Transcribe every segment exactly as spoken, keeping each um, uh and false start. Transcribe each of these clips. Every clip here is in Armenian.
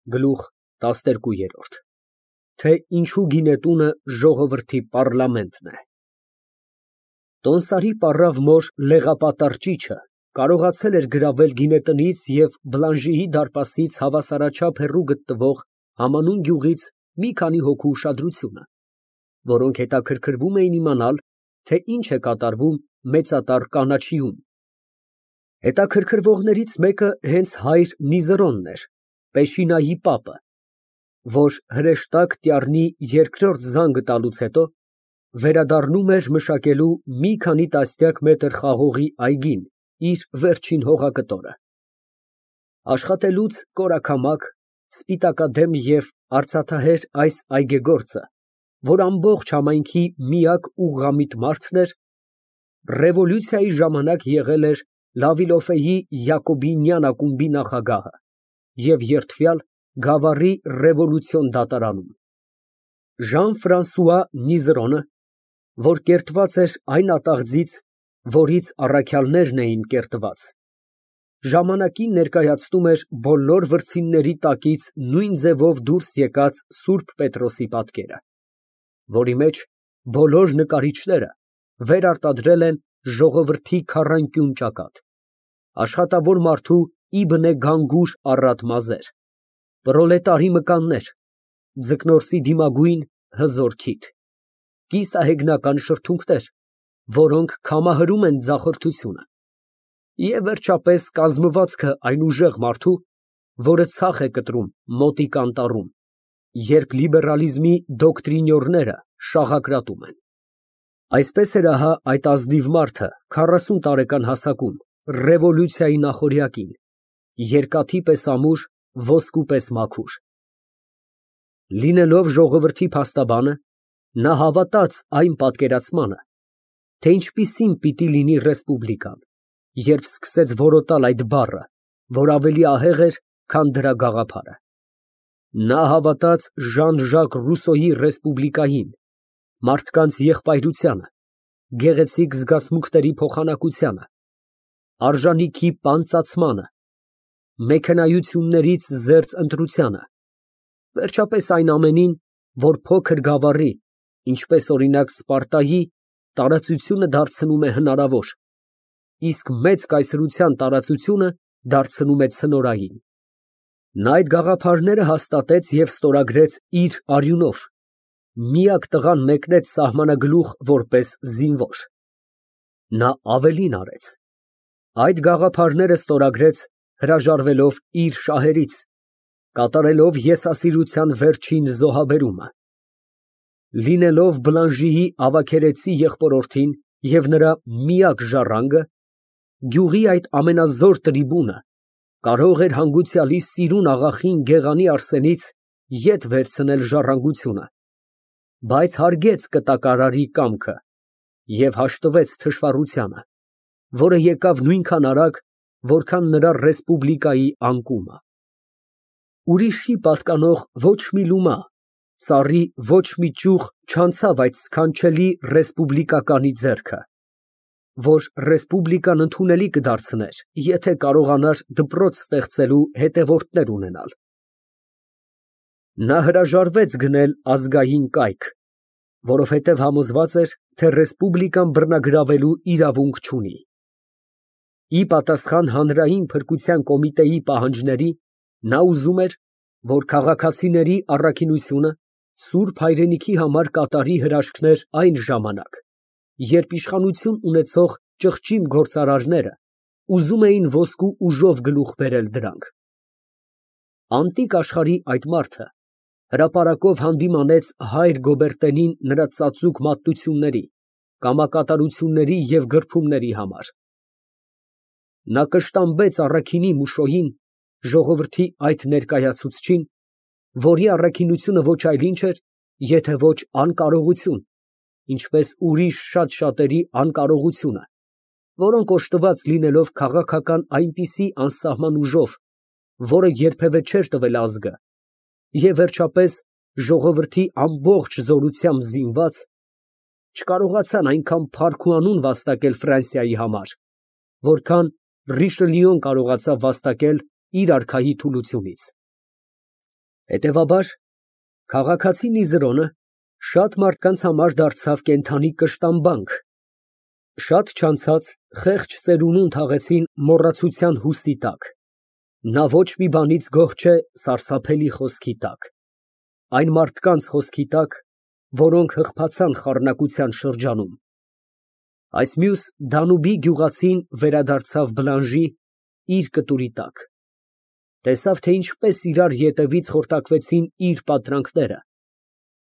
Գլուխ տասներկու։ Թե ինչու գինետունը ժողովրդի պառլամենտն է։ Տոնսարի պառավ մոր լեղապատառ ճիճը կարողացել էր գրավել գինետնից և Բլանժիի դարպասից հավասարաչափ հեռու գտնվող համանուն գյուղից մի քանի հոգու ուշադրությունը, որոնք հետաքրքրվում էին իմանալ, թե ինչ է կատարվում մեծատառ կանաչիում։ Հետաքրքրվողներից մեկը հենց հայր Նիզերոնն էր, Պեշինայի պապը, որ հրեշտակ Տյառնի երկրորդ զանգը տալուց հետո վերադառնում էր մշակելու մի քանի տասնյակ մետր խաղողի այգին իր վերջին հողակտորը։ Աշխատելուց կորակամակ, սպիտակադեմ և արծաթահեր այս այգեգործը, որ ամբողջ համայնքի միակ ուղղամիտ մարդն էր, ռևոլյուցիայի ժամանակ եղել էր Լավիլոֆեի Յակոբինյան ակումբի նախագահը և երդվյալ Գավառի ռևոլյուցիոն դատարանում։ Ժան֊Ֆրանսուଆ Նիզերոնը, որ կերտված էր այն ատաղձից, որից առաքյալներն էին կերտված, ժամանակին ներկայացնում էր բոլոր վրձինների տակից նույն ձևով դուրս եկած Սուրբ Պետրոսի պատկերը, որի մեջ բոլոր նկարիչները վերարտադրել են ժողովրդի քառանկյուն ճակատ, աշխատավոր մարդու իբնե գանգուր առատ մազեր, պրոլետարի մկաններ, ձկնորսի դիմագույն հզոր քիթ, կիսահեգնական շրթունքներ, որոնք քամահրում են ձախորդությունը, և վերջապես կազմվածքը այն ուժեղ մարդու, որը ցախ է կտրում մոտիկ անտառում, երբ լիբերալիզմի դոկտրինյորները շաղակրատում են։ Այսպես էր ահա այդ ազնիվ մարդը քառասուն տարեկան հասակում, ռևոլյուցիայի նախօրյակին, երկաթի պես ամուր, ոսկու պես մաքուր։ Լինելով ժողովրդի փաստաբանը, նա հավատաց այն պատկերացմանը, թե ինչպիսին պիտի լինի ռեսպուբլիկան, երբ սկսեց որոտալ այդ բառը, որ ավելի ահեղ էր, քան դրա գաղափարը։ Նա հավատաց Ժան Ժակ Ռուսոյի ռեսպուբլիկային, մարդկանց եղբայրությանը, գեղեցիկ զգացմունքների փոխանակությանը, արժանիքի պանծացմանը, մեքենայություններից զերծ ընտրությանը, վերջապես այն ամենին, որ փոքր գավառի, ինչպես օրինակ Սպարտայի, տարածությունը դարձնում է հնարավոր, իսկ մեծ կայսրության տարածությունը դարձնում է ցնորային։ Նա այդ գաղափարները հաստատեց և ստորագրեց իր արյունով, միակ տղան մեկնեց սահմանագլուխ որպես զինվոր։ Նա ավելին արեց. այդ գաղափարները ստորագրեց հրաժարվելով իր շահերից, կատարելով եսասիրության վերջին զոհաբերումը։ Լինելով Բլանժիի ավագերեցի եղբորորդին և նրա միակ ժառանգը, գյուղի այդ ամենազոր տրիբունը կարող էր հանգուցյալի սիրուն աղախին Գեղանի Արսենից ետ վերցնել ժառանգությունը, բայց հարգեց կտակարարի կամքը և հաշտվեց թշվառությանը, որը եկավ նույնքան արագ, որքան նրա ռեսպուբլիկայի անկումը։ Ուրիշի պատկանող ոչ մի լումա, ծառի ոչ մի ճյուղ չանցավ այդ սքանչելի ռեսպուբլիկականի ձեռքը, որ ռեսպուբլիկան ընդունելի կդարձներ, եթե կարողանար դպրոց ստեղծելու հետևորդներ ունենալ։ Նա հրաժարվեց գնել ազգային կայք, որովհետև համոզված էր, թե ռեսպուբլիկան բռնագրավելու իրավունք չունի։ Ի պատասխան հանրային փրկության կոմիտեի պահանջների, նա ուզում էր, որ քաղաքացիների առաքինությունը սուրբ հայրենիքի համար կատարի հրաշքներ այն ժամանակ, երբ իշխանություն ունեցող ճղճիմ գործարարները ուզում էին ոսկու ուժով գլուխ բերել դրանք։ Անտիկ աշխարհի այդ մարդը հրապարակով հանդիմանեց հայր Գոբերտենին նրա ծածուկ մատնությունների, կամակատարությունների և գրփումների համար։ Նա կշտամբեց առաքինի Մուշոյին, ժողովրդի այդ ներկայացուցչին, որի առաքինությունը ոչ այլ ինչ էր, եթե ոչ անկարողություն, ինչպես ուրիշ շատ շատերի անկարողությունը, որոնք օժտված լինելով քաղաքական այնպիսի անսահման ուժով, որը երբևէ չէր տվել ազգը, և վերջապես ժողովրդի ամբողջ զորությամբ զինված, չկարողացան այնքան փառք ու անուն վաստակել Ֆրանսիայի համար, որքան Ռիշելիուն կարողացավ վաստակել իր արքայի թուլությունից։ Հետևաբար, քաղաքացի Նիզրոնը շատ մարդկանց համար դարձավ կենդանի կշտամբանք, շատ չանցած խեղճ ծերունուն թաղեցին մոռացության հուսի տակ, նա ոչ մի բանից գոհ չէ սարսափելի խոսքի տակ, այն մարդկանց խոսքի տակ, որոնք հղբացան խառնակության շրջանում։ Այս մյուս Դանուբի գյուղացին վերադարձավ Բլանժի իր կտուրի տակ, տեսավ, թե ինչպես իրար ետևից խորտակվեցին իր պատրանքները,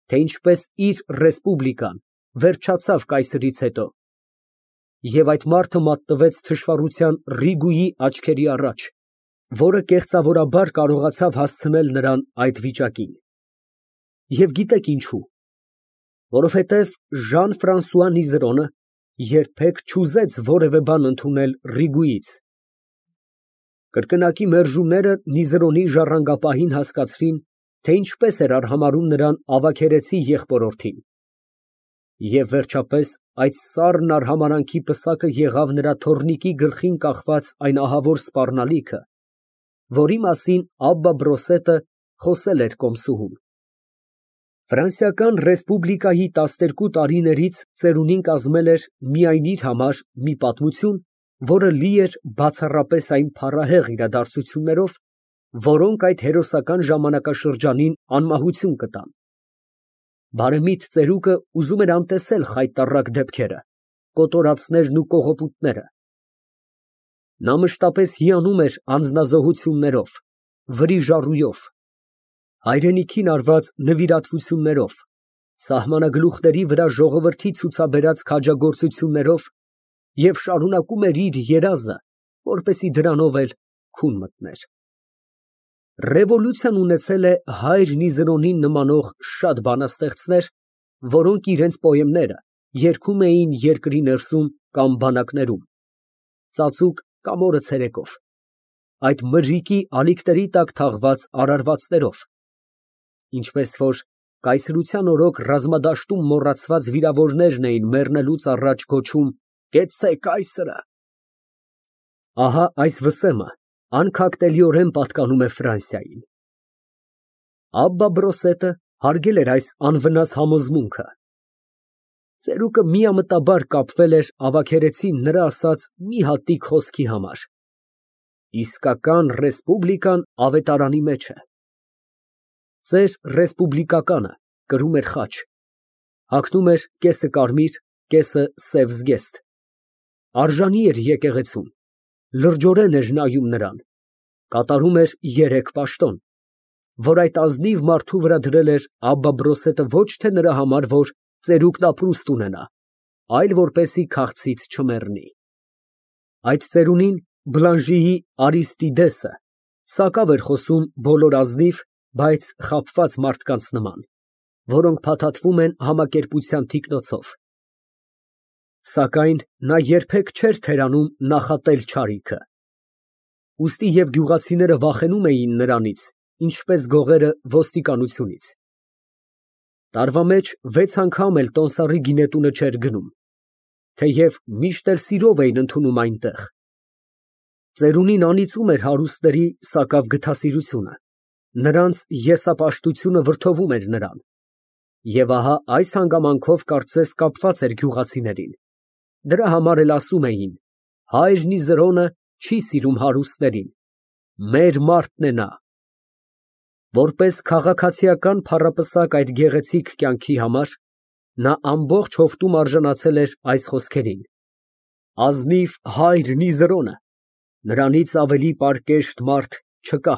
թե ինչպես իր ռեսպուբլիկան վերջացավ կայսրից հետո, և այդ մարդը մատնվեց թշվառության Ռիգուի աչքերի առաջ, որը կեղծավորաբար կարողացավ հասցնել նրան այդ վիճակին։ Եվ գիտեք ինչու, որովհետև Ժան֊Ֆրանսուଆ Նիզրոնը երբեք չուզեց որևէ բան ընդունել Ռիգուից։ Կրկնակի մերժումները Նիզրոնի ժառանգապահին հասկացրին, թե ինչպես էր արհամարհում նրան ավագերեցի եղբորորդին։ Եվ վերջապես այդ սառն արհամարհանքի պսակը եղավ նրա թոռնիկի գլխին կախված այն ահավոր սպառնալիքը, որի մասին Աբբա Բրոսետը խոսել էր կոմսուհուն։ Ֆրանսիական ռեսպուբլիկայի տասներկու տարիներից ծերունին կազմել էր միայն իր համար մի պատմություն, որը լի էր բացառապես այն փառահեղ իրադարձություններով, որոնք այդ հերոսական ժամանակաշրջանին անմահություն կտան։ Բարեմիտ ծերուկը ուզում էր անտեսել խայտառակ դեպքերը, կոտորածներն ու կողոպուտները։ Նա մշտապես հիանում էր անձնազոհություններով, վրիժառույով, հայրենիքին արված նվիրատվություններով, սահմանագլուխների վրա ժողովրդի ցուցաբերած քաջագործություններով և շարունակում էր իր երազը, որպեսզի դրանով էլ քուն մտներ։ Ռևոլյուցիան ունեցել է հայր Նիզրոնին նմանող շատ բանաստեղծներ, որոնք իրենց պոեմները երգում էին երկրի ներսում կամ բանակներում, ծածուկ կամ օրը ցերեկով, այդ մրրիկի ալիքների տակ թաղված արարվածներով, ինչպես որ կայսրության օրոք ռազմադաշտում մոռացված վիրավորներն էին մեռնելուց առաջ գոչում «Կեցցե կայսրը»։ Ահա այս վսեմը անքակտելիորեն պատկանում է Ֆրանսիային։ Աբբա Բրոսետը հարգել էր այս անվնաս համոզմունքը։ Ծերուկը միամտաբար կապվել էր ավագերեցին նրա ասած մի հատիկ խոսքի համար. իսկական ռեսպուբլիկան ավետարանի մեջ է։ Ծեր ռեսպուբլիկականը կրում էր խաչ, հագնում էր կեսը կարմիր, կեսը սև զգեստ, արժանի էր եկեղեցում, լրջորեն էր նայում նրան, կատարում էր երեք պաշտոն, որ այդ ազնիվ մարդու վրա դրել էր Աբբա Բրոսետը ոչ թե նրա համար, որ ծերուկն ապրուստ ունենա, այլ որպեսզի քաղցից չմեռնի։ Այդ ծերունին Բլանժիի Արիստիդեսը սակավ էր խոսում բոլոր ազնիվ, բայց խաբված մարդկանց նման, որոնք փաթաթվում են համակերպության թիկնոցով։ Սակայն նա երբեք չէր թերանում նախատել չարիքը։ Ուստի և գյուղացիները վախենում էին նրանից, ինչպես գողերը ոստիկանությունից։ Տարվա մեջ վեց անգամ էլ տոմսառի գինետունը չէր գնում, թեև միշտ էլ սիրով էին ընդունում այնտեղ։ Ծերունին անիծում էր հարուստների սակավ գթասիրությունը, նրանց եսապաշտությունը վրդովում էր նրան, և ահա այս հանգամանքով կարծես կապված էր գյուղացիներին, դրա համար էլ ասում էին. հայր Նիզրոնը չի սիրում հարուստներին, մեր մարդն է նա։ Որպես քաղաքացիական փառապսակ այդ գեղեցիկ կյանքի համար, նա ամբողջ հովտում արժանացել էր այս խոսքերին. ազնիվ հայր Նիզրոնը, նրանից ավելի պարկեշտ մարդ չկա։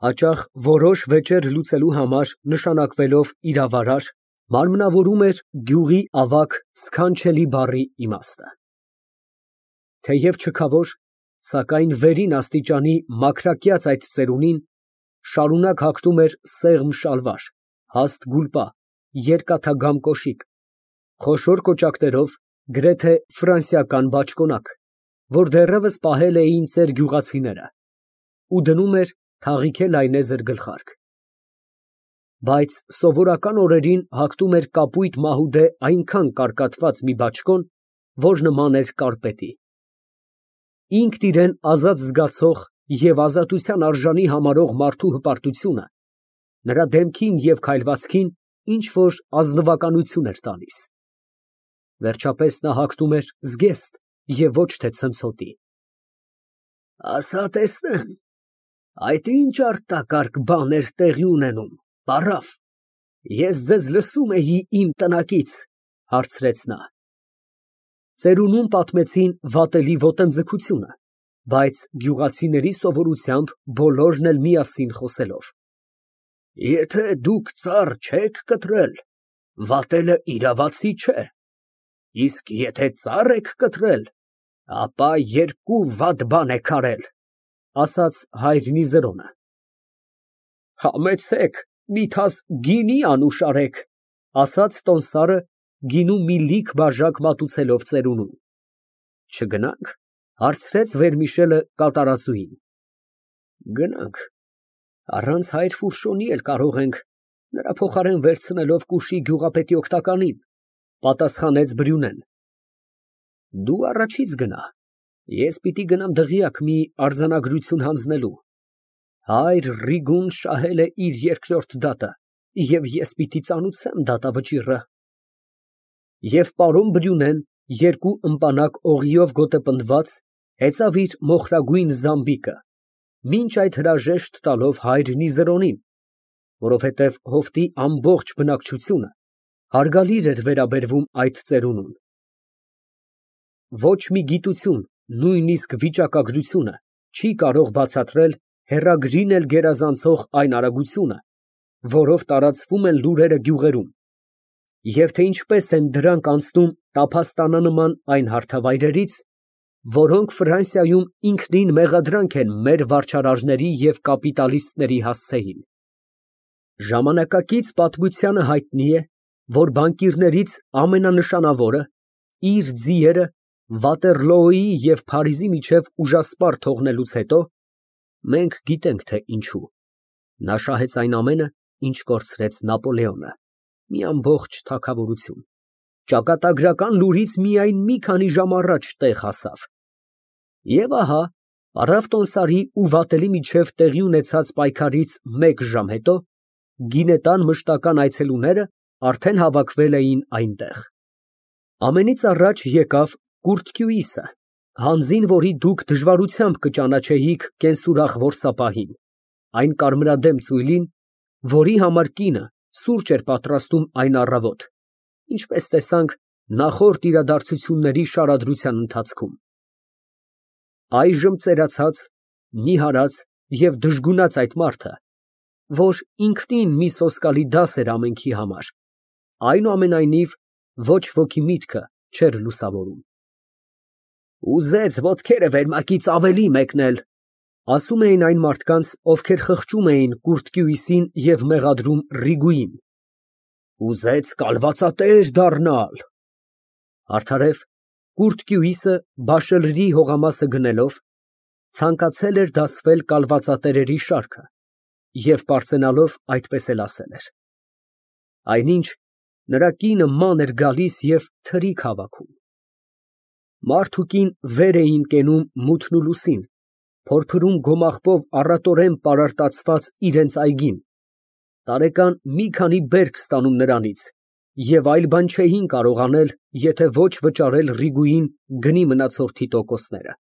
Հաճախ որոշ վեճեր լուծելու համար նշանակվելով իրավարար, մարմնավորում էր գյուղի ավագ սքանչելի բառի իմաստը։ Թեև չքավոր, սակայն վերին աստիճանի մաքրակյաց այդ ծերունին շարունակ հագնում էր սեղմ շալվար, հաստ գուլպա, երկաթագամ կոշիկ, խոշոր կոճակներով, գրեթե ֆրանսիական բաճկոնակ, որ դեռևս պահել էին ծեր գյուղացիները, ու դնում էր թաղիքե լայնեզր գլխարկ։ Բայց սովորական օրերին հագնում էր կապույտ մահուդե այնքան կարկատված մի բաճկոն, որ նման էր կարպետի։ Ինքն իրան ազատ զգացող և ազատության արժանի համարող մարդու հպարտությունը նրա դեմքին և քայլվածքին ինչ֊որ ազնվականություն էր տալիս։ Վերջապես նա հագնում էր զգեստ և ոչ թե ցնցոտի։ Ասա տեսնեմ, այդ ինչ արտակարգ բան էր տեղի ունենում, պարավ, ես ձեզ լսում էի իմ տնակից, հարցրեց նա։ Ծերունուն պատմեցին վատելի ոտնձգությունը, բայց գյուղացիների սովորությամբ բոլորն էլ միասին խոսելով. Եթե դուք ծառ չեք կտրել, վատելը իրավացի չէ, իսկ եթե ծառ եք կտրել, ապա երկու վատ բան եք արել, ասաց հայր Նիզերոնը։ Համեցեք, միթաս գինի անուշ արեք, ասաց տոմսարը, գինու մի լիք բաժակ մատուցելով ծերունուն։ Չգնա՞նք, հարցրեց Վերմիշելը կատարածուին։ Գնանք, առանց հայր Ֆուրշոնի էլ կարող ենք, նրա փոխարեն վերցնելով կուշի գյուղապետի օգնականին, պատասխանեց Բրյունեն։ Դու առաջից գնա, ես պիտի գնամ դղյակ մի արձանագրություն հանձնելու։ Հայր Ռիգուն շահել է իր երկրորդ դատը, և ես պիտի ծանուցեմ դատավճիռը։ Եվ պարոն Բրյունեն, երկու ըմպանակ օղիով գոտեպնդված, հեծավ իր մոխրագույն զամբիկը, մինչ այդ հրաժեշտ տալով հայր Նիզերոնին, որովհետև հովտի ամբողջ բնակչությունը հարգալիր էր վերաբերվում այդ ծերունուն։ Ոչ մի գիտություն, նույնիսկ վիճակագրությունը չի կարող բացատրել հեռագրին էլ գերազանցող այն արագությունը, որով տարածվում են լուրերը գյուղերում, և թե ինչպես են դրանք անցնում տափաստանանման այն հարթավայրերից, որոնք Ֆրանսիայում ինքնին մեղադրանք են մեր վարչարարների և կապիտալիստների հասցեին։ Ժամանակակից պատմությանը հայտնի է, որ բանկիրներից ամենանշանավորը իր ձիերը Վատերլոյի և Փարիզի միջև ուժասպառ թողնելուց հետո, մենք գիտենք, թե ինչու, նա շահեց այն ամենը, ինչ կորցրեց Նապոլեոնը, մի ամբողջ թագավորություն, ճակատագրական լուրից միայն մի քանի ժամ առաջ տեղ հասավ։ Եվ ահա, պարավ տոմսարի ու վատելի միջև տեղի ունեցած պայքարից մեկ ժամ հետո, գինետան մշտական այցելուները արդեն հավաքվել էին այնտեղ։ Ամենից առաջ եկավ Կուրտկյուիսը, հանձին, որի դուք դժվարությամբ կճանաչեիք կենսուրախ որսապահին, այն կարմրադեմ ծույլին, որի համար կինը սուրճ էր պատրաստում այն առավոտ, ինչպես տեսանք նախորդ իրադարձությունների շարադրության ընթացքում։ Այժմ ծերացած, նիհարած և դժգունած այդ մարդը, որ ինքնին մի սոսկալի դաս էր ամենքի համար, այնուամենայնիվ ոչ ոքի միտքը չէր լուսավորում։ Ուզեց ոտքերը վերմակից ավելի մեկնել, ասում էին այն մարդկանց, ովքեր խղճում էին Կուրտկյուիսին և մեղադրում Ռիգուին։ Ուզեց կալվածատեր դառնալ։ Արդարև, Կուրտկյուիսը Բաշելրի հողամասը գնելով, ցանկացել էր դասվել կալվածատերերի շարքը և պարծենալով այդպես էլ ասել էր։ Այնինչ, նրա կինը ման էր գալիս և թրիկ հավաքում։ Մարդ ու կին վեր էին կենում մութն ու լուսին, փորփրում գոմաղբով առատորեն պարարտացված իրենց այգին, տարեկան մի քանի բերք ստանում նրանից և այլ բան չէին կարող անել, եթե ոչ վճարել Ռիգուին գնի մնացորդի տոկոսները։